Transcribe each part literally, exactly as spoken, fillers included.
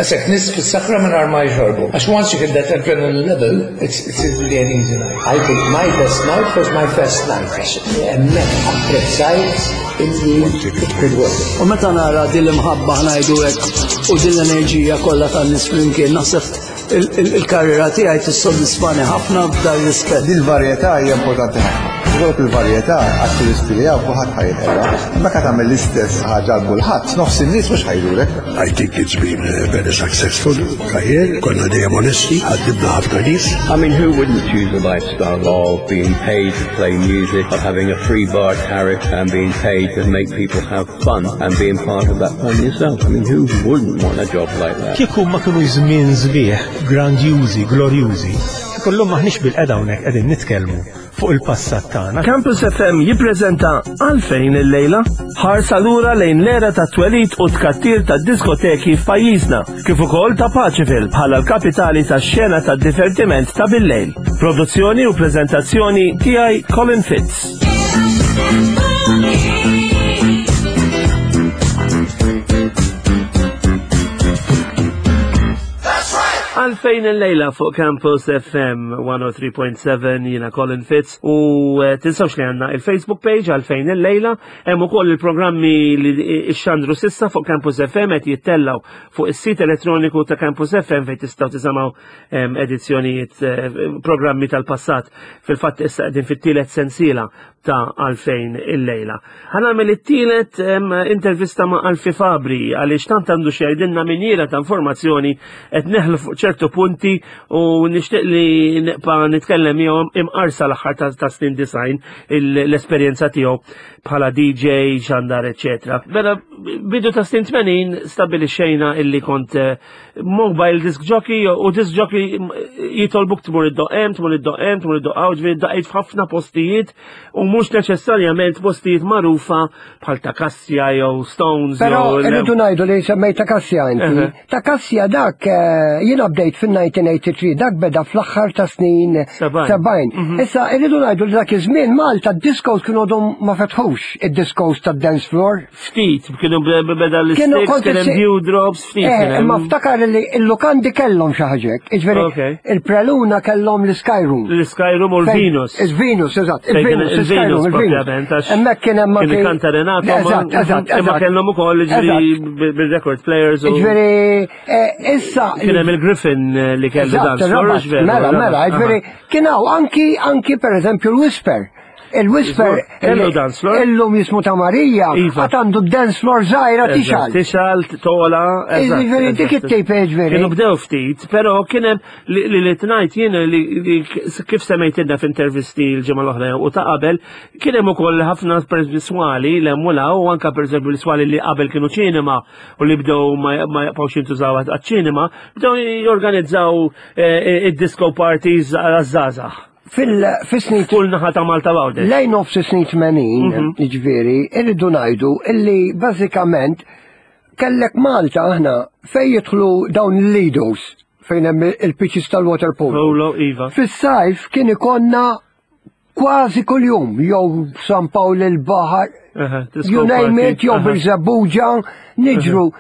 Għasek nies fis-sakra minn ma jxorbu. Għax once you hit that adrenaline level, it's, it's really an easy night. I think my best night was my first night. Għax hemmhekk apprezzajt illi it could work. U meta nara din l-imħabba, ħa ngħidu hekk, u din l-enerġija kollha tan-nies flimkien, naħseb il-karriera tiegħi tissodisfani ħafna f'dan rispett. Dil-varjetà hija importanti ħafna. Ikollok il-varjetà għat-turisti li hawn kulħadd ħa jinqeda. Meta tagħmel l-istess ħaġa għal kulħadd, nofs in-nies mhux ħa jdurek. I think it's been a very successful career. Konna dejjem onesti, ħaddimna ħafna nies. I mean, who wouldn't choose a lifestyle of being paid to play music, of having a free bar tariff and being paid to make people have fun and being part of that fun yourself? I mean, who wouldn't want a job like that? Kieku ma kienu żmien sbieħ, grandjużi, glorjużi, kieku maħniex bilqiegħda hawnhekk qegħdin nitkellmu fuq il-passat tagħna. Campus F M jippreżenta Għalfejn il-lejla, ħarsa lura lejn l-era ta' twelid u tkattir ta' diskoteki f'pajjiżna, kif ukoll ta' Paceville bħala l-kapitali tax-xena ta' divertiment ta' bil-lejl. Produzzjoni u preżentazzjoni tiegħi, Colin Fitz. Għalfejn il-lejla fuq Campus F M mija u tlieta punt seba', jiena Colin Fitz u eh, tinsawx li għandna il-Facebook page Għalfejn il-lejla, hemm ukoll il-programmi li ixxandru s'issa fuq Campus F M qed jittellaw fuq is-sit elettroniku ta' Campus F M fejn tistgħu tisimgħu em, edizzjonijiet, eh, programmi tal-passat. Fil-fatt issa qegħdin fit-tielet sensiela ta' Għalfejn il-lejla. Ħa nagħmel it-tielet em, intervista ma' Alfie Fabri għaliex tant għandu x'jgħidilna minjiera ta' informazzjoni, qed neħlu fuq ċertu punti u nixtieq li nibqa' nitkellem miegħu imqarsa l-aħħar ta', ta' snin disgħin, l-esperjenza tiegħu bħala D J, xandar, eccetera. Mela, bidu ta' snin tmenin stabilixxejna illi kont eh, mobile disc jockey, u disc jockey jitolbuk tmur iddoqq hemm, tmur iddoqq hemm, tmur iddoqq hawn, ġifieri daqqejt f'ħafna postijiet u mhux neċessarjament postijiet magħrufa bħal ta' Kassja jew Stones. Pero jew irridu ngħidu li semmejt ta' Kassja inti. Eħe. Ta' Kassja dak eh, jiena bdejt fin-elf disa' mija tmienja u disgħin, dak beda fl-aħħar ta' snin Sebgħin. sebgħin. Issa irridu ngħidu li dak iż-żmien Malta d-discos kienu għadhom ma fetħux, id-discos tad-dance floor. Ftit, kienu beda Kienu l-sticks, kont kien hemm issi- dewdrops, ftit. Eh, kien hemm. imma ftakar li il-lukandi kellhom xi ħaġa. Jiġifieri Ok. il-Preluna kellhom l-Skyroom. L-Skyroom u l-Venus. Il-Venus, eżatt. Fejn kien Il-Venus, il-Skyroom, il-Venus il-Venus. propjament, għax Hemmhekk kien hemm kien anke- ikanta Renato, ma- Eżatt, eżatt, imma eżatt. kellhom ukoll ġifieri bil-record players u Jiġifieri, eh, issa. Kien hemm il-Griffin eh, li kellu Eżatt, dance floor, ir-Rabat, veru, Mela, ir-Rabat, mela, aha. jiġifieri, kien hawn anki anki per eżempju l-Whisper. Il-Whisper Kellu dance floor? Illum jismu ta' Marija, Iva. għad għandu dance floor żgħira Eżatt, tixgħel. Tixgħel, tola, eżatt, Jiġifieri dik eżatt. it-tip, jiġifieri. Kienu bdew ftit, pero kien hemm li li li tnajt jien li li kif semmejtilna f'intervisti l-ġimgħa l-oħra u ta' qabel, kien hemm ukoll ħafna per swali l hemm u la u anka pereżempju l-swali li qabel kienu ċinema u li bdew ma ma jaqgħux jintużaw għaċ-ċinema, bdew jorganizzaw eh, id-disco parties għaż-żgħażagħ. Fil-snin Kull naħa ta' Malta Għawdex. Lejn nofs snin tmenin, Mhm. jiġifieri, irridu ngħidu illi bażikament kellek Malta aħna fej jidħlu dawn il-lidos fejn hemm il-pitches tal-water polo. Polo, iva. Fis-sajf kien ikollna kważi kuljum, jew San Pawl il-Baħar, Aha, disco you name party. it, jew Aha. Birżebbuġa, niġru.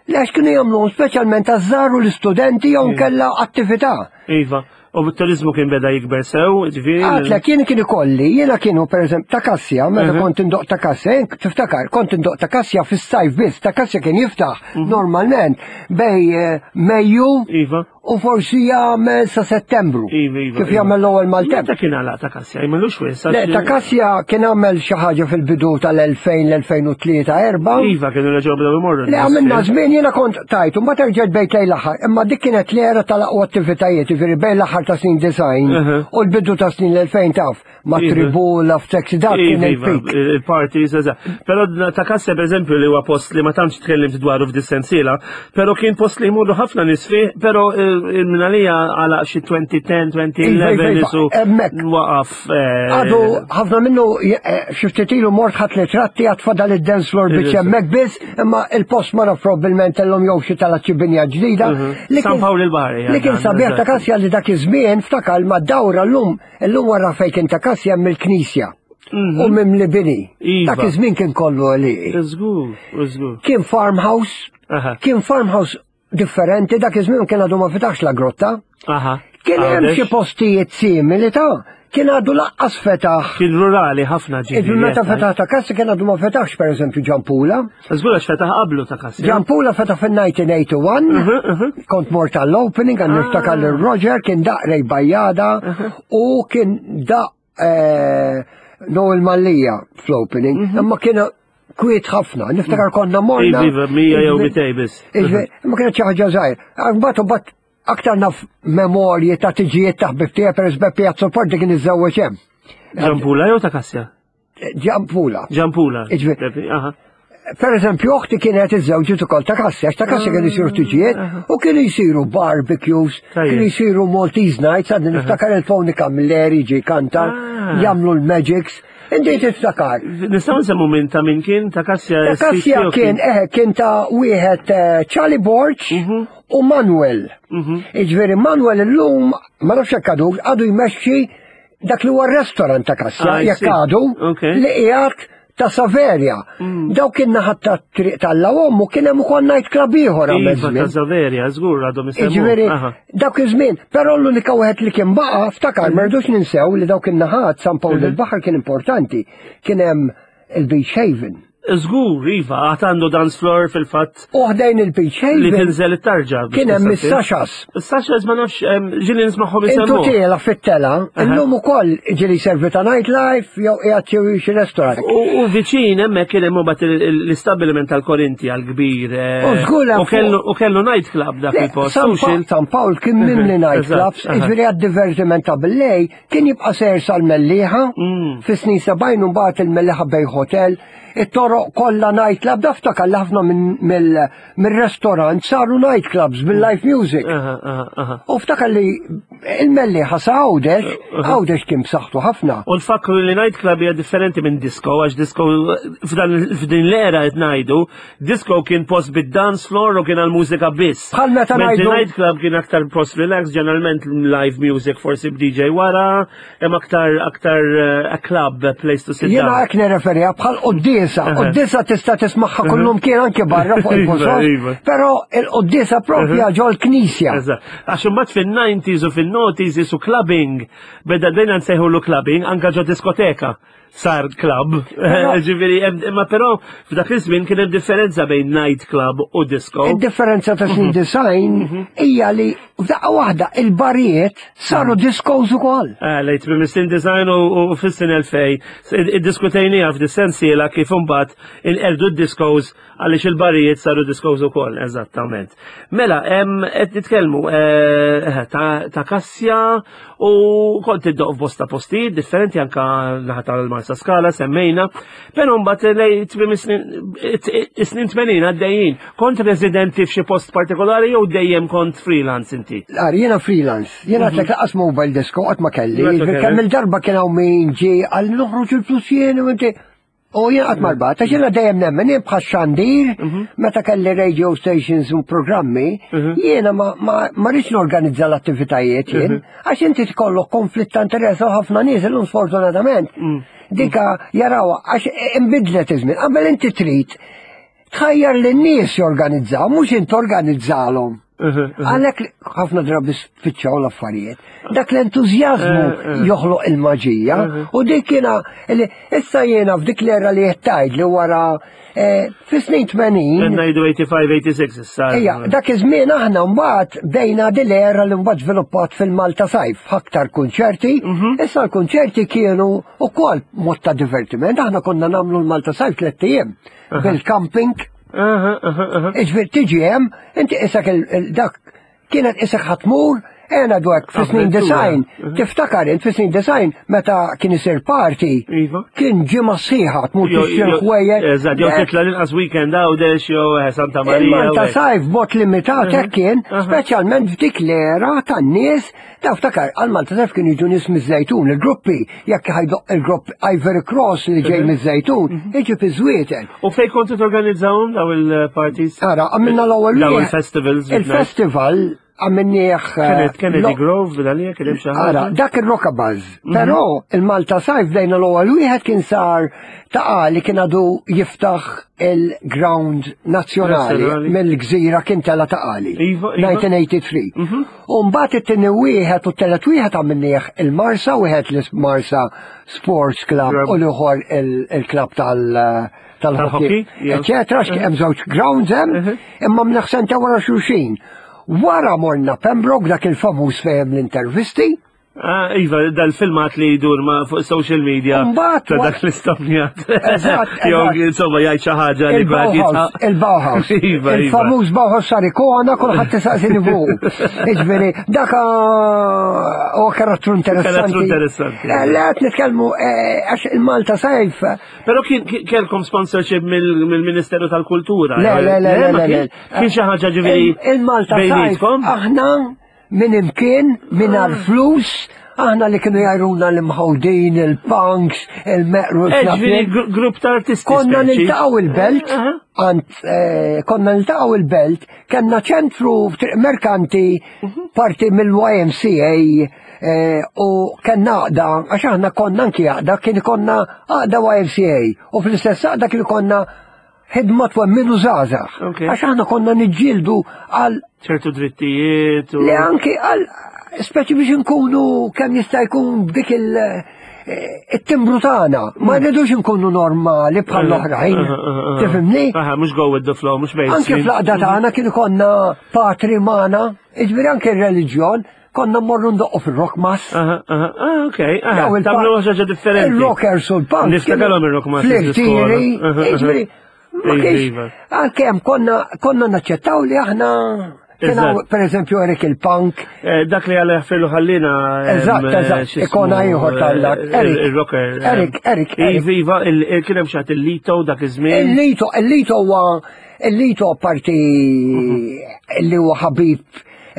Lex kienu jagħmlu speċjalment għaż-żgħar u l-istudenti jew kella attività. Iva. U t-turizmu kien beda jikber sew, ġifieri. Għatlek, jien kien ikolli, jiena kienu per eżempju ta' Kassja, meta Mhm. kont indoqq ta' Kassja, jien tiftakar, kont indoqq ta' Kassja fis-sajf biss, ta' Kassja kien jiftaħ Mhm. normalment bejn eh, Mejju Iva. u forsi jagħmel sa Settembru. Iva, iva. Kif iva. jagħmel l-ewwel maltemp. Meta kien għalaq ta' Kassja, jmellux wis. Le, ta' Kassja kien għamel xi ħaġa fil-bidu tal-elfejn, l-elfejn u tlieta, erba'. Iva, kienu reġgħu bdew imorru. Le, għamilna żmien jiena kont tajt, u mbagħad erġgħet bejt lejn l-aħħar, imma dik kienet l-era tal-aqwa attivitajiet, jiġifieri bejn l-aħħar ta' snin disgħin Uh-huh. u l-bidu ta' snin l-elfejn, taf, ma' Iva. Tribula, f'Taxi, dak kien Iva, iva, il-pik. il-parties, eżatt. Pero ta' Kassja, per eżempju, li huwa post li ma tantx tkellimt dwaru f'dis-sensiela, pero kien post li jmurru ħafna nies fih, pero il-minalija għala xi elfejn u għaxra, elfejn u ħdax Iva, iva, iva, isu hemmhekk. waqaf. eh, Għadu, ħafna minnu, eh, xi ftit ilu mort ħadt ritratti, għad fadal id-dance floor biex Iva. hemmhekk biss, imma il-post ma naf, probabbilment kellhom jew xi tala binja ġdida. Mhm. Li San kien- Pawl il-Baħar, Li kien dan, sabiħ ta' eżatt. Kassja li dak iż-żmien, ftakar ma dawra llum, illum wara fejn kien ta' Kassja hemm il-knisja. U mimli bini. Iva. Dak iż-żmien kien kollu għalieqi. Żgur, żgur. Kien farmhouse, Aha. kien farmhouse. differenti, dak iż-żmien kien għadu ma fetaħx la grotta. Aha. Kien hemm Għawdex. xi postijiet simili ta' kien għadu laqqas fetaħ. Kien rurali ħafna ġifieri. Iġifieri meta jekk, fetaħ ta' Kassi kien għadu ma fetaħx per eżempju Ġampula. Żgur għax fetaħ qablu ta' Kassi. Ġampula fetaħ fil-elf disa' mija u wieħed u tmenin, kont mort tal-opening, għan niftakar lil Roger, kien daqq Ray Bajada u kien daqq eh, Noel Mallia fl-opening, imma kien kwiet ħafna, niftakar konna morna. Iva, mija jew mitej biss. Iġifieri, ma kienet xi ħaġa żgħir. Mbagħad mbagħad aktar naf memorji ta' tiġijiet ta' ħbib tiegħi per eżempju Piazza Forti kien iżżewweġ hemm. Ġampula jew ta' Kassja? Ġampula. Ġampula. Iġifieri- Aha. Per eżempju, uħti kienet iżżewġet ukoll ta' Kassja, għax ta' Kassja kienu jsiru tiġijiet u kienu jsiru barbecues, Tajjeb. kienu jsiru Maltese Nights, għadni niftakar il-Tony Camilleri ġi kanta, Ah. jagħmlu l-Magics, inti tiftakar. Nistgħu nsemmu minn ta' min kien ta' Kassja. Ta' Kassja kien, eh, kien ta' wieħed eh, Charlie Borg u Manuel. Iġifieri Manuel illum, ma nafx jekk għadu, għadu jmexxi dak li huwa restaurant ta' Kassja, Ah, I jekk see. għadu, Okay. li qiegħed ta' Saveria. Daw kien naħat ta' triq tal-lawom u kien hemm ukoll night club ieħor għamel Iva ta' żmien. Saveria, żgur għadhom isemmu. Iġifieri, Aha. dak iż-żmien, però l-unika wieħed li kien baqa' ftakar, ma rridux ninsew li dawk in-naħat San Pawl il-Baħar kien importanti. Kien hemm il-Beach Haven. Żgur, iva, għad għandu dance floor fil-fatt U ħdejn il-Beach li Haven tinżel it-tarġa. biex kien hemm tista' is-Sashas. Is-Sashas ma nafx, em, ġieli nismagħhom Intu isemmu. tiela fit-tela, illum ukoll ġieli servi ta' nightlife jew qiegħed xi xi restaurant. U u viċin hemmhekk kien hemm imbagħad il- il- l-istabbiliment tal-Korinti għal-kbir. eh, U żgur hemm U kellu u kellu night club dak Le, il-post. San, u xil- Pa San Pawl kien mimli night Eżatt, clubs, aha. iġifieri għad-divertiment ta' billejl, kien jibqa' sejr sal-Mellieħa, Mm. fis-snin sebgħin u mbagħad il-Mellieħa Bay Hotel, it-toroq kollha night club, niftakar li ħafna minn mill- mill-restaurant saru night clubs bil-live music. Aha, aha, aha. U ftakar li il-Mellieħa sa Għawdex, Għawdex kien b'saħħtu ħafna. U nfakru li night club hija differenti minn disco, għax disco f'dan f'din l-era qed ngħidu, disco kien post bid-dance floor u kien għal-mużika biss. Bħal meta Mentri ngħidu- night club kien aktar post relax, ġeneralment live music forsi b'D J wara, hemm aktar aktar eh, a club, a place to sit Jiena down. hekk nirreferija bħal quddiesa. Quddiesa tista' tismagħha kullum kien anke barra fuq Iva, il-post. iva. Però il-quddiesa propja ġol knisja. Eżatt. Għax imbagħad fin-nineties u fin-noughties isu clubbing, beda dejna nsejħulu clubbing anka ġo diskoteka sar club. Ġifieri, hemm- imma però f'dak iż-żmien kien hemm differenza bejn night club u disco. Il-differenza ta' snin disgħin hija li f'daqqa waħda il-barijiet saru discos ukoll. Eh, lejt minn snin disgħin u u fis-sin elfejn, iddiskutejnieha f'dis-sensiela kif imbagħad inqerdu d-discos għaliex il-barijiet saru discos ukoll, eżattament. Mela, hemm qed nitkellmu eh, ta' ta' Kassja u kont iddoq f'bosta postijiet differenti anka naħa tal-Marsa Skala semmejna, però mbagħad lejt tmiem is-snin is-snin tmenin għaddejjin. Kont residenti f'xi post partikolari jew dejjem kont freelance inti? Ar, jiena freelance, jiena għedtlek lanqas mobile disco qatt ma kelli, Qatt ma kelli. kemm il-darba kien hawn min ġie għal noħroġ il-flus jien u inti. U jien qatt marbat, għax jiena dejjem nemmen, jien bħal xandir, meta kelli radio stations u programmi, jiena ma, ma, ma rridx norganizza l-attivitajiet jien, għax inti tkollok konflitt ta' interess u ħafna nies illum sfortunatament. Dika jaraw, għax imbidlet iż-żmien, qabel inti trid tħajjar li n-nies jorganizzaw, mhux inti organizzalhom. Għalhekk ħafna drabi spiċċaw l-affarijiet. Dak l-entużjażmu joħloq il-maġija u dik kiena li issa jiena f'dik l-era li jettajt li wara eh, fis-snin tmenin. Ngħidu tmenin, sitta u tmenin issa. Ejja, dak iż-żmien aħna mbagħad bdejna din l-era li mbagħad żviluppat fil-Malta Sajf, aktar kunċerti. Issa l-kunċerti kienu ukoll mod ta' divertiment. Aħna konna nagħmlu l-Malta Sajf tliet ijiem bil-camping. Aha, aha, aha. Iġifieri tiġi hemm, inti isek il- dak kienet isek ħa tmur, ena dwek fis-snin Avventura. disgħin, tiftakar int fis-snin disgħin meta kien isir party, Iva. kien ġimgħa sħiħa tmur tixtri ħwejjeġ. Eżatt, jew titla l-inqas weekend Għawdex jew eh, Santa Maria. Il-Malta u hekk. Sajf bot limitat hekk kien, aha. speċjalment f'dik l-era tan-nies, ta' ftakar għal Malta Sajf kien jiġu nies miż-Żejtun, il-gruppi, jekk ħa jdoqq il-grupp Ivory Cross li ġej miż-Żejtun, iġi fi Żwieten. U fej kontu torganizzawhom daw il-parties? Ara, għamilna l-ewwel Daw wieħed. il-festivals. Il-festival għamilnieh eh, Kennedy lo- Grove, bil-għalija, kien hemm xi Ara, ħaġa. dak il-Rockabuzz. Però il-Malta Sajf bdejna l-ewwel wieħed kien sar ta' li kien għadu jiftaħ il-ground nazzjonali Nazzjonali. mill-gżira kien tela ta' għali. Iva, iva. mil-disa tmienja tmienja tlieta. U mbagħad it-tieni wieħed u t-telet wieħed għamilnieh il-Marsa, wieħed l-Marsa Sports Club Club. u l-ieħor il- il-club tal- tal-hockey, Tal-hockey, yeah. eccetera, għax hemm żewġ grounds hemm, imma mnaħsenta wara xulxin. Wara morna Pembroke dak il-famuż fejn l-intervisti, Ah, Iva, dal-filmat li jdur ma fuq social media. Mbagħad Ta' wa- dak l-istomnjat. Eżatt, Jew, eżatt. insomma, jgħid xi ħaġa li kulħadd Il-Bauhaus, jitħaq. il-Bauhaus. Iva, iva. Il-famuż Bauhaus sar ikona, kulħadd tisaqsini fuq. Iġifieri, dak ah, huwa karattru interessanti. Karattru interessanti. Eh, Le, qed nitkellmu eh, għax il-Malta Sajf. Però kien kien- kellkom sponsorship mill- mill-Ministeru tal-Kultura. Le, le, le, le, ma le, kien- le. Kien xi ħaġa ġifieri Il- Il-Malta Sajf, bejnietkom? aħna minn imkien, minn flus, aħna li kienu jgħajruna l-imħawdin, il-punks, il-meqru, Eh, ġifieri gru- grupp ta' artisti. Konna speċi. niltaqgħu il-belt, Aha. għand eh, konna niltaqgħu il-belt, kellna ċentru f'Triq Merkanti, parti mill-Y M C A eh, u kellna għaqda, għax aħna konna anki għaqda, kien konna għaqda Y M C A u fl-istess għaqda kien konna ħidma twemminu żgħażagħ. Ok. Għax aħna konna niġġieldu għal ċertu drittijiet u. li anki għal speċi biex nkunu kemm jista' jkun b'dik il- eh, it-timbru tagħna. Ma rridux nkunu normali bħal l-oħrajn. Tifhimni? Aha, mhux go with the flow, mhux Anke mainstream. fl-għaqda tagħna kien konna patri magħna, jiġifieri anke r-reliġjon, konna mmorru ndoqqu fil-rock mass. Aha, aha, ah, ok. Aha, Daw il- tagħmlu ħaġa differenti. Il-rockers u l-punk. Niftakarhom il-rock mass. Fl-irtiri, jiġifieri, ma Iva, kienx, iva. għalkemm konna konna naċċettaw li aħna kien hawn, Eżatt. per eżempju, Eric il-punk, Eh, Dak li għal jaħfirlu ħallina. em, Eżatt, eh, eżatt, x'ismu, ikona ieħor tal-dak. eh, Eric, Il-rocker. em, Eric, Eric, Eric. Iva, iva, il- il- kien hemm xi ħadd il-Lito dak iż-żmien. Il-Lito, il-Lito huwa, il-Lito parti li huwa ħabib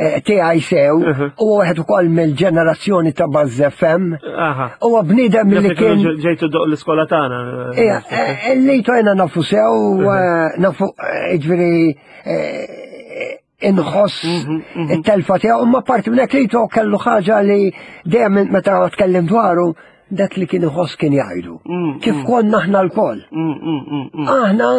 eh, tiegħi sew, Mhm. u wieħed ukoll mill-ġenerazzjoni ta' Buzz F M. Aha. Huwa bniedem li kien Ġejtu doq l-iskola tagħna. Ija, eh, il-Lito jena nafu sew, eh, nafu, eh, ġifieri, eh, inħoss it-telfa tiegħu, imma parti minn hekk Lito kellu ħaġa li dejjem meta tkellim dwaru, dak li kien iħoss kien jgħidu. Kif konna aħna lkoll. Mm, mm, mm, mm. Aħna,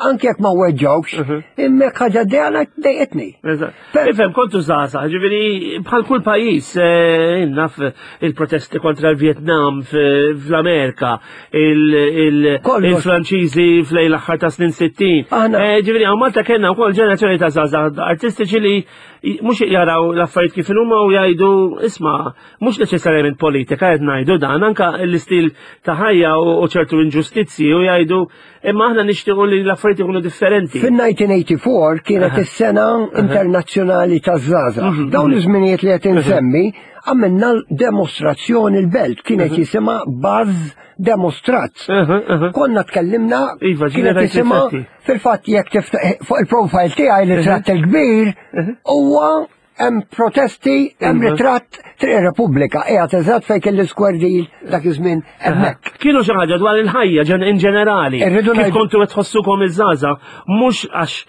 anke jekk ma weġġawx, imma ħaġa dejjana dejqitni. Eżatt. Per- Ifhem, kontu żgħażagħ, ġifieri bħal kull pajjiż, eh, naf il-protesti kontra l-Vietnam f- fl-Amerika, il- il- Kollox. il-Franċiżi fl l-aħħar ta' snin sittin. Aħna- Eh, Ġifieri hawn Malta kellna wkoll ġenerazzjoni ta' żgħażagħ artistiċi li mhux jaraw l-affarijiet kif huma u jgħidu isma' mhux neċessarjament politika qed ngħidu dan, anka l-istil ta' ħajja u u ċertu inġustizzi u jgħidu imma aħna nixtiequ li l-affarijiet ikunu differenti. Fin-elf disa mija tmienja u disgħin kienet is-sena internazzjonali taż-żgħażagħ. Dawn iż-żminijiet li qed insemmi għamilna demostrazzjoni l-belt, kienet jisimha Buzz Demostrat. Aha, aha. Konna tkellimna, Iva, kienet ġieli jisimha rajt fil-fatt jekk tiftaħ fuq il-profile tiegħi ritratt il-kbir huwa hemm protesti, hemm Iva. ritratt Triq Repubblika, qiegħed eżatt fejn kien l-Square Deal dak iż-żmien hemmhekk. Kienu xi ħaġa dwar il-ħajja ġen in ġenerali. Irridu Kif ngħidu- kontu qed tħossukom iż-żgħażagħ, mhux għax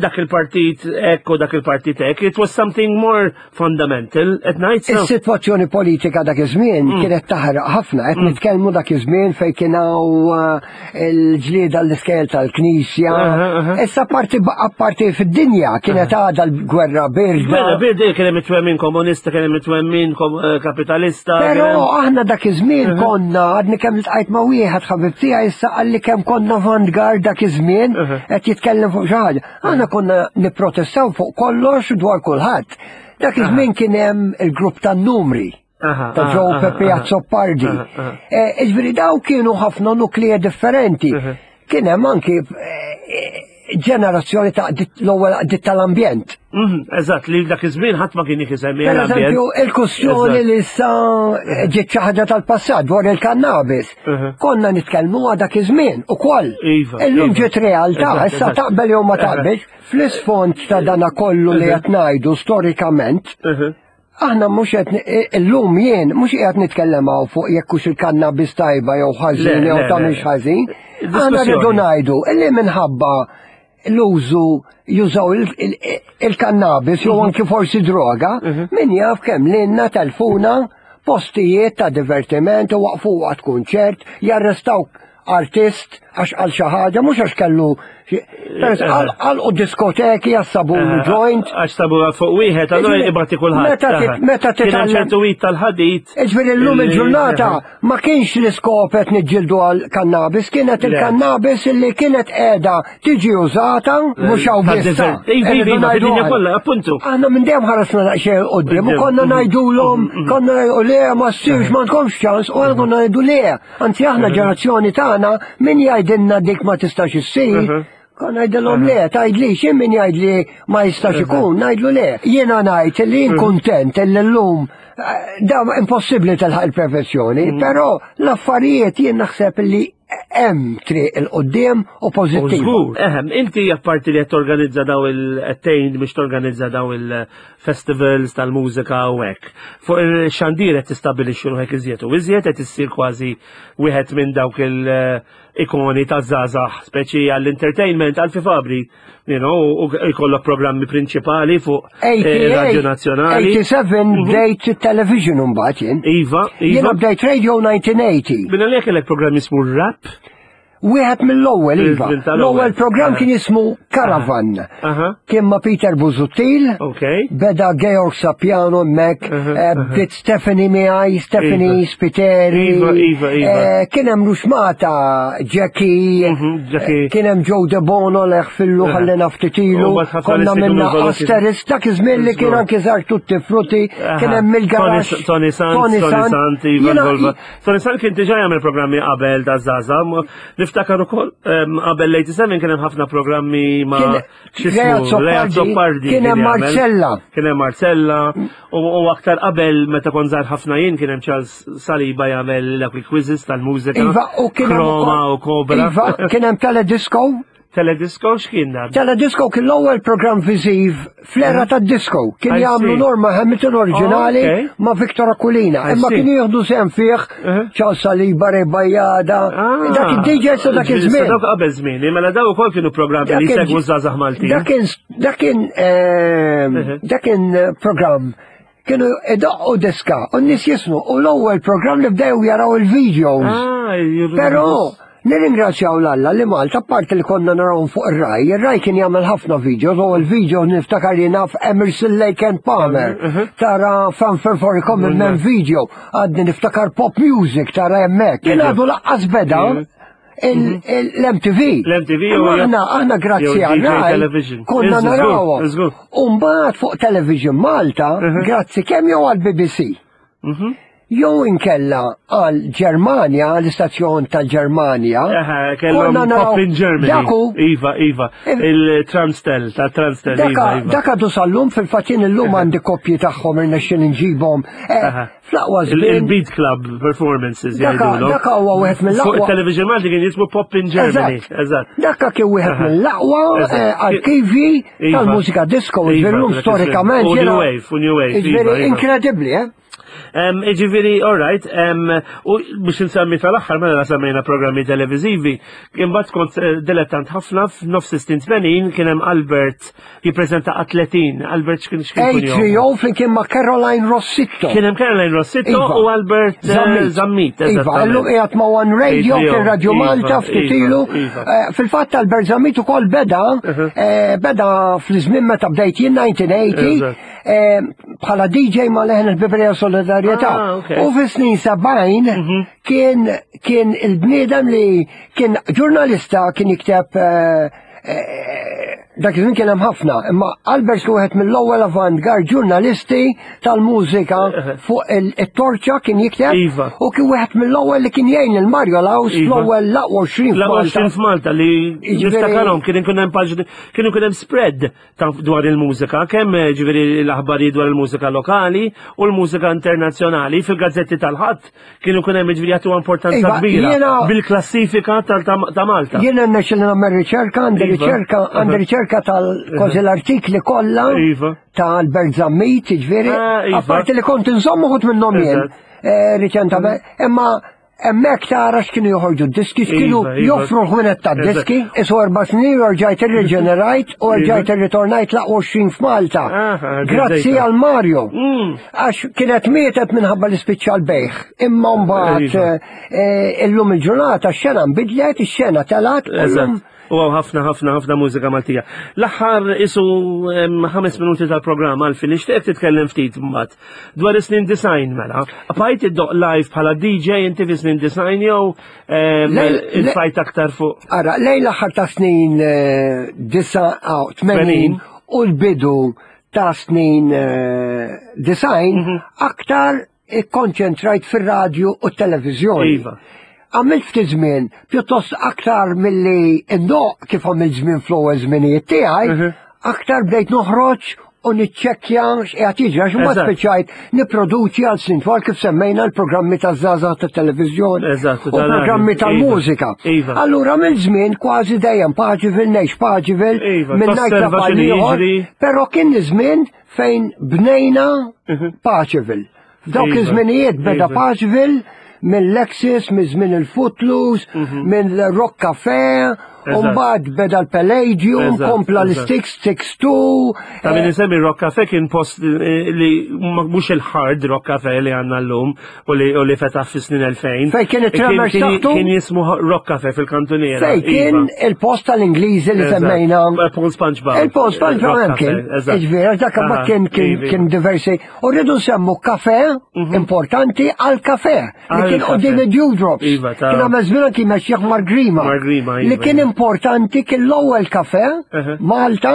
dak il-partit hekk u dak il-partit hekk, it was something more fundamental, qed ngħid sew. Is-sitwazzjoni politika dak iż-żmien Mm. kienet taħraq ħafna, qed nitkellmu dak iż-żmien fejn kien hawn eh, il-ġlieda l-iskejjel tal-Knisja. Aha, aha. Issa parti parti fid-dinja kienet għadha l-gwerra Mela, birda. birdi kien hemm it-twemmin komunista, kien hemm it-twemmin kom- eh, kapitalista. Però kien hemm- aħna dak iż-żmien konna għadni kemm iltqajt ma' wieħed ħabib tiegħi issa qalli kemm konna avantgard dak iż-żmien Mhm. qed jitkellem fuq xi ħaġa. Aħna konna nipprotestaw fuq kollox dwar kulħadd. Dak iż-żmien kien hemm il-grupp tan-numri Aha, ta' aha, Joe aha, Peppi aha. Azzopardi. Aha, aha. Eh, Iġifieri daw kienu ħafna nuklija differenti. Mhm. Kien hemm anki eh, ġenerazzjoni ta' dit- l-ewwel dit tal-ambjent. Mhm, Eżatt, li dak iż-żmien ħadd ma kien jisemmi Per l-ambjent. eżempju, il-kustjoni Eżatt. li issa ġiet xi ħaġa tal-passat dwar il-kannabis. Mhm. Konna nitkellmu għal dak iż-żmien ukoll. Iva, Illum iva. ġiet realtà, Eżatt, issa eżatt. taqbel jew ma Eżatt. taqbilx, fl-isfond ta' dana kollu li qed ngħidu storikament, Mhm. aħna mhux qed illum jien mhux qiegħed nitkellem hawn fuq jekk hux il-kannabis tajba jew ħażin Le, jew le, ta' le. mhix ħażin. Aħna Diskussjoni. rridu ngħidu illi minħabba l-użu jużaw il-kannabis jew anki forsi droga, min jaf kemm lilna telfuna postijiet ta' divertiment u waqfu waqt kunċert, jarrestaw artist għax għal xi ħaġa, mhux għax kellu għal u diskoteki għax sabu joint. Għax sabu fuq wieħed, allura ibati kulħadd. Meta titgħallem ċertu wit tal-ħadid. Iġifieri llum il-ġurnata ma kienx l-iskop qed niġġieldu għal kannabis, kienet il-kannabis li kienet qiegħda tiġi użata mhux hawn biss. Iva, kollha, appuntu. Aħna minn dejjem ħaresna daqsxejn quddiem u konna ngħidulhom, konna ngħidu le ma ssirx m'għandkomx ċans u aħna konna ngħidu le. Anzi aħna ġenerazzjoni tagħna min jgħidilna dik ma tistax issir. Konna ngħidilhom le, tgħidli xi min jgħidli ma jistax ikun, ngħidlu le. Jiena ngħid li jien kuntent li llum da impossibbli tilħaq il-perfezzjoni, però l-affarijiet jien naħseb li hemm triq il-qudiem u pożittiv. Żgur, ehem, inti apparti li qed torganizza daw il-tejn biex torganizza daw il-festivals tal-mużika u hekk. Fuq il-xandir qed tistabbilixxi ruħek iżjed u iżjed qed issir kważi wieħed minn dawk il-ikoni taż-żgħażagħ, speċi għall-entertainment, għal Fabri, you know, u jkollok programmi prinċipali fuq Radio Nazzjonali. eighty-seven bdejt television mbagħad jien. Iva, iva. Jiena bdejt radio nineteen eighty. Minna li kellek programm jismu Rap? Wieħed mill-ewwel, iva. L-ewwel programm kien jismu Caravan. Kien ma' Peter Busuttil. Beda Georg Sapiano hemmhekk, bdiet Stephanie miegħi, Stephanie Spiteri. Iva, iva, iva. Kien hemm Ruxmata, Jackie, kien hemm Joe De Bono leħ fillu ħallina ftit ilu. Konna minna Asteris, dak iż-żmien li kien anki żar Tutti Frutti, kien hemm il-garax. Tony Sant, Tony Sant, iva. Tony Sant kien diġà jagħmel programmi qabel da' żgħażagħ. Niftakar ukoll qabel l-eighty-seven kien hemm ħafna programmi ma' x'ismu, Lea Zoppardi. Kien hemm Marcella. Kien hemm Marcella u aktar qabel meta kont żgħar ħafna jien kien hemm Charles Saliba jagħmel dawk il-quizzes tal-mużika. Iva, u kien hemm Chroma u Cobra. Iva, kien hemm Teledisco. Teledisco x'kien dan? Teledisco kien l-ewwel programm viżiv fl-era tad-disco. Kien jagħmlu Norma Hamilton oriġinali ma' Victor Aquilina. Imma kienu jieħdu sehem fih Charles Saliba, Ray Bajada, dak id-D J sa dak iż-żmien. Dak qabel żmien, mela daw ukoll kienu programmi li jsegwu żgħażagħ Maltin. Dak kien dak kien dak kien programm kienu idoqqu diska u n-nies jismu u l-ewwel programm li bdew jaraw il-videos. Però nirringrazzjaw l-Alla li Malta, apparti li konna narawhom fuq ir-Rai, ir-Rai kien jagħmel ħafna videos, u l-video niftakar li naf Emerson Lake and Palmer, tara Fanfare for a Common Man video, għadni niftakar pop music tara hemmhekk. Kien għadu laqqas beda l-M T V. L-M T V u aħna, aħna grazzi għal Rai konna narawhom. U mbagħad fuq Television Malta, grazzi kemm jew għall B B C. Jew inkella għal Ġermanja, l-istazzjon tal-Ġermanja. Kellhom Pop in Germany. Daku. Iva, iva. Il-Transtel, ta' Transtel, iva, iva. Dak għadu sal-lum, fil-fatt jien illum għandi koppji tagħhom irnexxin inġibhom. Fl-aqwa żmien. Il-Beat Club performances jgħidulhom. Dak huwa wieħed mill-aqwa. Fuq il-Television Malti kien jismu Pop in Germany. Eżatt. Dak kien wieħed mill-aqwa arkivi tal-mużika disco, illum storikament. U New Wave, u New Wave. Jiġifieri inkredibbli, eh? Iġifieri, all right, u biex nsemmi tal-aħħar mela semmejna programmi televiżivi, imbagħad kont dilettant ħafna f'nofs sittin tmenin kien hemm Albert jippreżenta Atletin. Albert x'kien x'kien kun jgħid? Trio flimkien ma' Caroline Rossitto. Kien hemm Caroline Rossitto u Albert Zammit. Iva, illum qiegħed ma' One Radio, kien Radio Malta ftit ilu. Fil-fatt Albert Zammit ukoll beda beda fl-żmien meta bdejt jien nineteen eighty bħala D J ma' Leħen il-Bibrija Solidarjetà. U fis-snin sebgħin kien kien il-bniedem li kien ġurnalista kien jikteb dak iż-żmien kien hemm ħafna, imma Albert kien wieħed mill-ewwel avant-garde ġurnalisti tal-mużika fuq it-torċa kien jikteb u kien wieħed mill-ewwel li kien jgħin il Mario Laus l-ewwel l-aqwa għoxrin F'Malta. L-aqwa għoxrin f'Malta li niftakarhom kien ikun hemm paġni, kien ikun hemm spread dwar il-mużika, kemm ġifieri l-aħbarijiet dwar il-mużika lokali u l-mużika internazzjonali fil-gazzetti tal-ħadd kienu ikun hemm ġifieri jagħtu importanza kbira bil-klassifika ta' Malta. Jiena rnexxieli nagħmel riċerka, għandi riċerka, għandi riċerka tal-kważi l-artikli kollha ta' Albert Zammit, ġifieri, apparti li kont inżomm uħud minnhom jien riċentament, imma Hemmhekk tara x'kienu joħorġu d-diski, x'kienu Iva, iva. joffru l-ħwienet tad-diski, isu erba' snin u rġajt irriġenerajt u rġajt irritornajt l-aqwa scene f'Malta. Aha, Grazzi ġeddejta. għal Mario. Mm. Għax kienet mietet minħabba li spiċċa l-bejgħ. Imma mbagħad Iva. eh, illum il-ġurnata x-xena nbidlet, ix-xena telgħet, u llum Eżatt. U hawn ħafna ħafna ħafna mużika Maltija. L-aħħar isu em, ħames minuti tal-programm għalfejn nixtieq titkellem ftit mbagħad dwar is-snin disgħin mela. Bqajt iddoqq live bħala D J inti fi snin disgħin jew em, Le- le- intfajt aktar fuq? Ara, lejn l-aħħar ta' snin eh, disa aw, tmenin Tmenin. u l-bidu ta' snin eh, disgħin Mhm. aktar ikkonċentrajt fir-radju u t-televizjoni. Iva. Għamilt ftit żmien, pjuttost aktar milli indoqq kif għamilt żmien fl-ewwel żminijiet tiegħi, Mhm. aktar bdejt noħroġ u niċċekkja x'qiegħed jiġri għax imbagħad Eżatt. spiċċajt nipproduċi għal snin twal kif semmejna l-programmi taż-żgħażagħ tat-televiżjoni Eżatt, u tal-radju. programmi Iva. tal-mużika. Iva. Allura mill żmien kważi dejjem Paceville, ngħix Paceville, Iva, minn ngħid tosserva x'inhu ieħor, jiġri. però kien żmien fejn bnejna Paceville. F'dawk Iva. iż-żminijiet beda Iva. Paceville minn Lexus, minn żmien il-Footloose, minn Rock Café, u Eżatt. mbagħad beda l-Palladium, Eżatt, kompla eżatt. l-Stix, Six Two. Ta' min insemmi Rock Cafe kien post eh, li ma- mhux il-hard Rock Cafe li għandna llum u li u li fetaħ fi snin elfejn. Fej kien it-Tremors Kien- taħtu? Kien jismu Rock Cafe fil-kantuniera. Fej kien Iva. il-post tal-Ingliżi li Eżatt. semmejna. Paul SpongeBob. Il-post SpongeBob Rock hemm Cafe, kien. eżatt. Iġifieri, dak Aha, ma kien kien iva. kien diversi. U rridu nsemmu kafe importanti għal kafe. Li Għal kien kafe. qudiem id-Dewdrops. Iva, ta' Kien għamel żmien kien mexjih Margrima. Margrima, iva, Li kien iva. importanti kien l-ewwel kafe Aha. Malta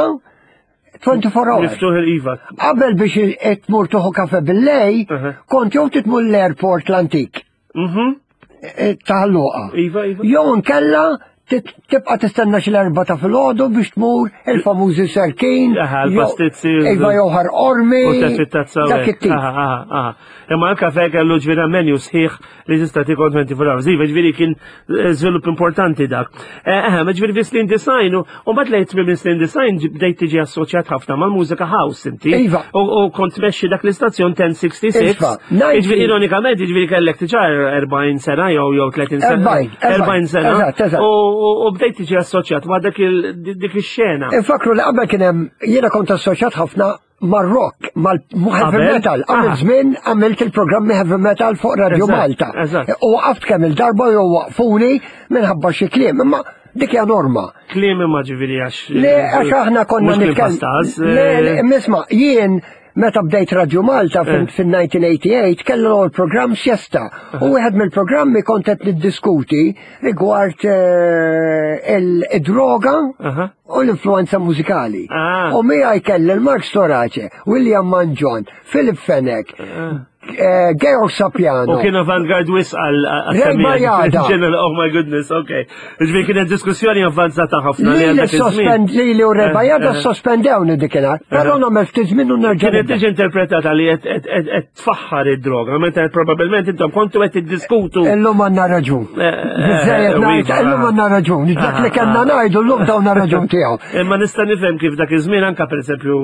twenty-four hours. Miftuħ il-iva. Qabel biex tmur tuħu kafe bil-lejl, Aha. kont jew titmur l-airport l-antik Mhm. eh, ta' Luqa. Iva, iva. Jew nkella tit- tibqa tistenna xi l-erba ta' filgħodu biex tmur il-famużi Serkin. Aha, jew- l-pastizzi. Iva jew Ħal Qormi. U teffi tazza. Dak it-tip. Aha, aha, aha. Imma l-kafe kellu ġifieri menu sħiħ li tista' tikol twenty-four hours. Iva, ġifieri kien eh, żvilupp importanti dak. Eh, ma ġifieri fi snin disgħin u mbagħad lejt minn snin disgħin bdejt tiġi assoċjat ħafna mal-mużika house inti. Iva. U u kont tmexxi dak l-istazzjon ten sixty-six. Iva, nineteen Ġifieri ironikament, ġifieri kellek diġà erbgħin sena jew jew tletin sena. Erbgħin, erbgħin sena. Eżatt, eżatt. U u bdejt tiġi assoċjat ma' dak il- dik ix-xena. Infakru li qabel kien hemm jiena kont assoċjat ħafna mar-rock, mal-heavy Qabel? metal. Għamil Aha. żmien għamilt il-programmi heavy metal fuq Radio Eżatt, Malta. eżatt. U waqaft kemm il-darba jew waqfuni minħabba xi kliem, imma dik hija norma. Kliem imma ġifieri għax. Le, għax aħna konna Mhux kliem nitkellmu. pastaż, Le, le, eh, misma, jien meta bdejt Radio Malta Eh. fil-elf disa' mija tmienja u disgħin kellu l-programm Siesta. U wieħed mill-programmi kont qed niddiskuti rigward eh, il-droga Aha. u l-influenza mużikali. Ah. U miegħi kelli l-Mark Storace, William Mangion, Philip Fenech, eh, Georg Sapiano. U kien avant-garde wisq għal Ray Bajada. General, oh my goodness, okay. Ġifieri kienet diskussjoni avvanzata ħafna li Li għal li dak iż-żmien. sospend li li u Eh, Ray Bajada eh. sospendewni dikinhar, però nagħmel ftit żmien u nerġa' Kienet nibda. tiġi interpretata li qed- qed qed- qed tfaħħar id-droga, meta probabbilment intom kontu qed tiddiskutu. Illum għandna raġun. Eh, eh, Biżżejjed ngħid, iva, illum għandna raġun. Dak li kellna ngħidu llum tawna raġun tiegħu. Imma nista' nifhem kif dak iż-żmien anka pereżempju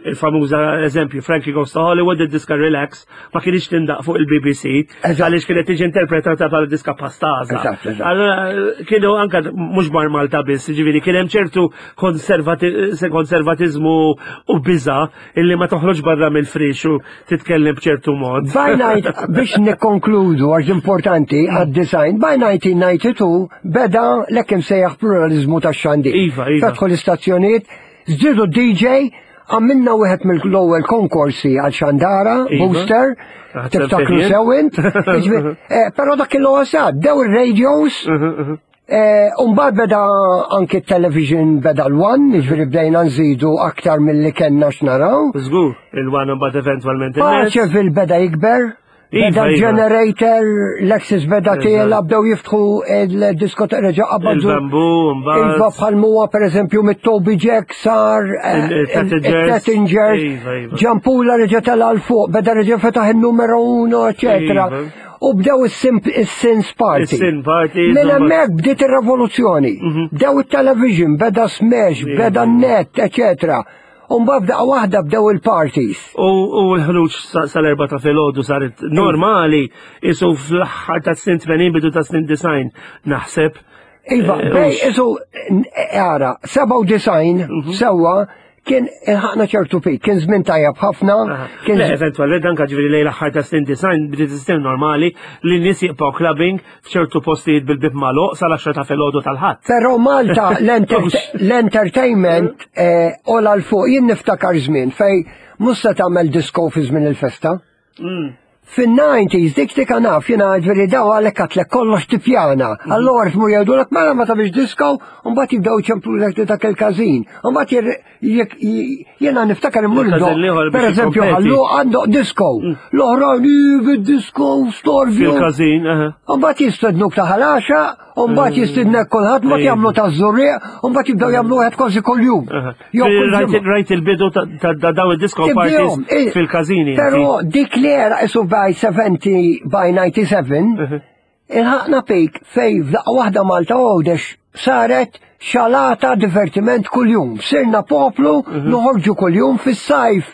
il-famuża eżempju Frankie Goes to Hollywood, id-diska Relax ma kienx tindaqq fuq il-B B C Eżatt. għaliex kienet tiġi interpretata bħala diska pastaża. Eżatt, eżatt. Allora kienu anka mhux bar Malta biss, ġifieri kien hemm ċertu konservati- konservatizmu u biża illi ma toħroġ barra mill-frix u titkellem b'ċertu mod. By night, biex nikkonkludu għax importanti għad-disgħin, by nineteen ninety-two beda l-hekk imsejjaħ pluralizmu ta' xandir. Iva, iva. Fetħu l-istazzjonijiet, żdiedu D J, għamilna wieħed mill-ewwel konkorsi għal xandara, Iva. Booster, Naħseb tiftakru fejn. sew int. Jiġifieri, eh, Però dak il-għosad, dew il-radios, Eh, Umbagħad beda anki television, beda l-One, ġifieri bdejna nżidu aktar mill-li kellna x'naraw. Żgur, il-One mbagħad eventwalment il-net. Paceville beda jikber, Iva, beda iva. generator, Lexus beda Eżatt. tiela, bdew jiftħu il-diskoteka, reġa' qabadu. Il-Bamboo, mbagħad. Iva, bħal muwa per eżempju mit-Toby Jack sar eh, Il- il-Tattingers. il-Tattingers, Iva, iva. Giampula reġa' tela 'l fuq, beda reġa' fetaħ il-numero uno, eccetera. Iva. U bdew is-Sins Party. Is-Sin Party, Minn insomma. hemmhekk bdiet ir-revoluzzjoni. Bdew it-television, beda Smash, Iva. beda net, eccetera. U mbagħad f'daqqa waħda bdew il-parties. U l-ħruġ sal-erba ta' filgħodu saret normali, isu fl-aħħar ta' snin tmenin bidu ta' snin disgħin naħseb. Iva, bej, isu, ara, sebgħa u disgħin sewwa kien ilħaqna ċertu pik, kien żmien tajjeb ħafna. Le, eventwalment anke ġifieri lejn l-aħħar ta' snin disgħin bdiet sistem normali li n-nies jibqgħu clubbing f'ċertu postijiet bil-bib magħluq sal-għaxra ta' filgħodu tal-Ħadd. Però Malta l-entertainment ola l fuq, jien niftakar żmien fej mhux se tagħmel disco fi żmien il-festa. Fin-nineties dik dik naf jiena ġifieri daw għalhekk għatlek kollox tipjana. Allura tmur jgħidulek mela ma tagħmilx disco, u mbagħad jibdew iċemplulek dak il-każin. U mbagħad jiena niftakar immur ndoq, per eżempju ħallu għandu disco. L-oħrajn bid-disco storbju. Fil-każin, aha. U mbagħad jistednuk ta' ħalaxa, u mbagħad jistednek kulħadd, mbagħad jagħmlu ta' żurrieq, u mbagħad jibdew jagħmlu wieħed kważi kuljum. Rajt il-bidu ta' daw id-disco parties fil-każini. Però dik li era isu by seventy by ninety-seven, ilħaqna pik fej f'daqqa waħda Malta Għawdex saret xalata divertiment kuljum. Sirna poplu noħorġu kuljum fis-sajf.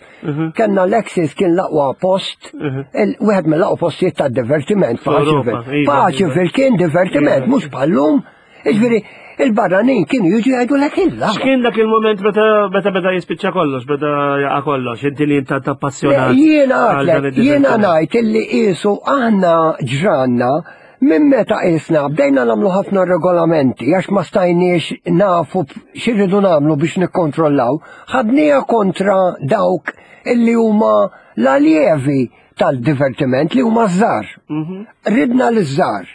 Kenna l-Axis kien l-aqwa post, wieħed mill-aqwa postijiet ta' divertiment. Paċeville kien divertiment, mhux bħallum. Jiġifieri il-barranin kienu jiġu jgħidu lek illa. X'kien dak il-moment meta beda jispiċċa kollox, beda jaqa' kollox, inti li inta tappassjonat. Jiena għatlek, jiena ngħid illi qisu aħna ġranna minn meta qisna bdejna nagħmlu ħafna regolamenti għax ma stajniex nafu x'irridu nagħmlu biex nikkontrollaw, ħadniha kontra dawk illi huma l-aljevi tal-divertiment li huma żgħar. Ridna l-żgħar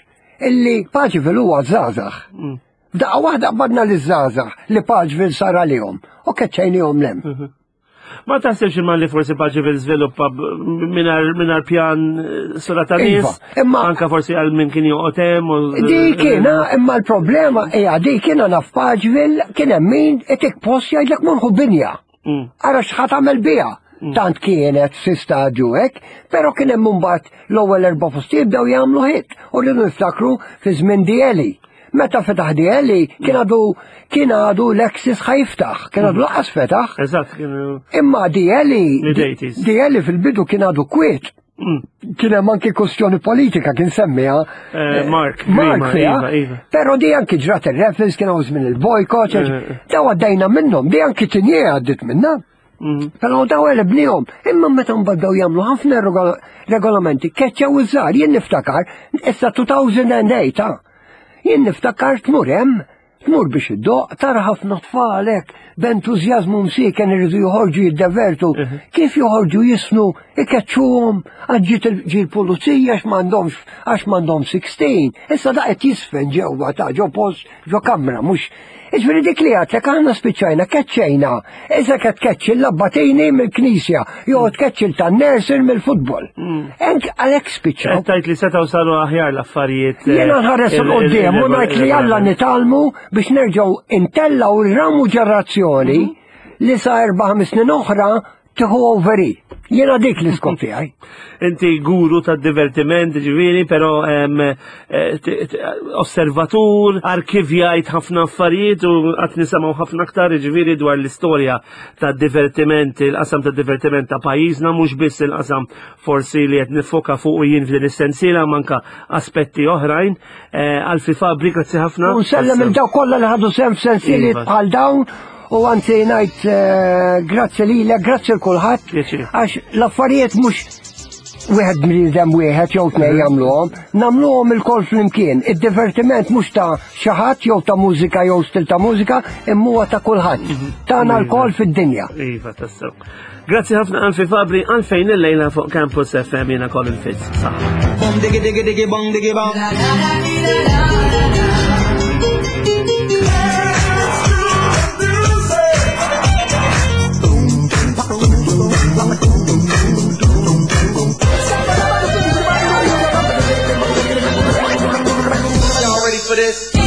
illi Paċeville huwa żgħażagħ. F'daqqa waħda qbadna l-żgħażagħ li Paċeville sar għalihom u keċċejnihom lem. Ma taħsibx imma li forsi Paċeville żviluppa mingħajr pjan sura ta' nies, anka forsi għal min kien joqgħod hemm. Dik kiena, imma l-problema hija dik kiena naf Paċeville kien hemm min itik post jgħidlek morħu binja. Ara x'ħa tagħmel biha. Tant kienet fi stadju hekk, però kien hemm imbagħad l-ewwel erba' postijiet bdew jagħmlu hit u rridu niftakru fi żmien Dieli. Meta fetaħ Dieli kien għadu kien għadu l-Axis ħajftaħ, kien għadu laqas fetaħ. Eżatt, kienu. Imma Dieli Dieli fil-bidu kien għadu kwiet. Kien hemm anki kwestjoni politika kien semmiha Mark, Mark fiha. Però di anki ġrat ir-refers kien hawn żmien il-bojkot, daw għaddejna minnhom, di anki Tinje għaddit minnha. Però daw għelibnihom, imma meta mbagħad bdew jagħmlu ħafna regolamenti, keċċew iż-żgħar, jien niftakar, issa two thousand and eight, jien niftakar tmur hemm, tmur biex iddoq, tara ħafna tfal hekk b'entużjażmu msieken iridu joħorġu jiddevertu, kif joħorġu jisnu, ikeċċuhom, għax ġie l-pulizija għax m'għandhomx għax m'għandhom sixteen, issa da qed jisfen ġewwa ta' ġo post ġo kamra, mhux. Iġifieri dik li għadlek aħna spiċċajna, keċċejna, issa qed tkeċċi l-abbatini mill-knisja, jew tkeċċi tan-nursing mill-futbol. Enk għalhekk spiċċaw. Qed tgħid li setgħu saru aħjar l-affarijiet. Jiena nħares 'il quddiem u ngħid li Alla nitgħallmu biex nerġgħu intellgħu r-ramu ġenerazzjoni li sa erba' ħames snin oħra tieħu overi. Jiena dik l-iskop tiegħi. Inti guru tad-divertiment, ġifieri, però osservatur, arkivjajt ħafna affarijiet u qatt nisimgħu ħafna aktar, ġifieri, dwar l-istorja tad-divertiment, il-qasam tad-divertiment ta' pajjiżna, mhux biss il-qasam forsi li qed nifoka fuq jien f'din is-sensiela, manka aspetti oħrajn. Alfie Fabri, grazzi ħafna. U nsellem il dawk kollha li ħadu sehem f'sensieliet bħal dawn. U għanti ngħid grazzi lilek, grazzi l kulħadd, għax l-affarijiet mhux wieħed bniedem wieħed jew tnejn jagħmluhom, nagħmluhom ilkoll flimkien. Id-divertiment mhux ta' xi ħadd jew ta' mużika jew stil ta' mużika, imma huwa ta' kulħadd. Tagħna lkoll fid-dinja. Iva, tassew. Grazzi ħafna Alfie Fabri, għalfejn illejla fuq Campus F M jiena Colin Fitz. Saħħa. Bom digi digi digi bong digi bong. For this.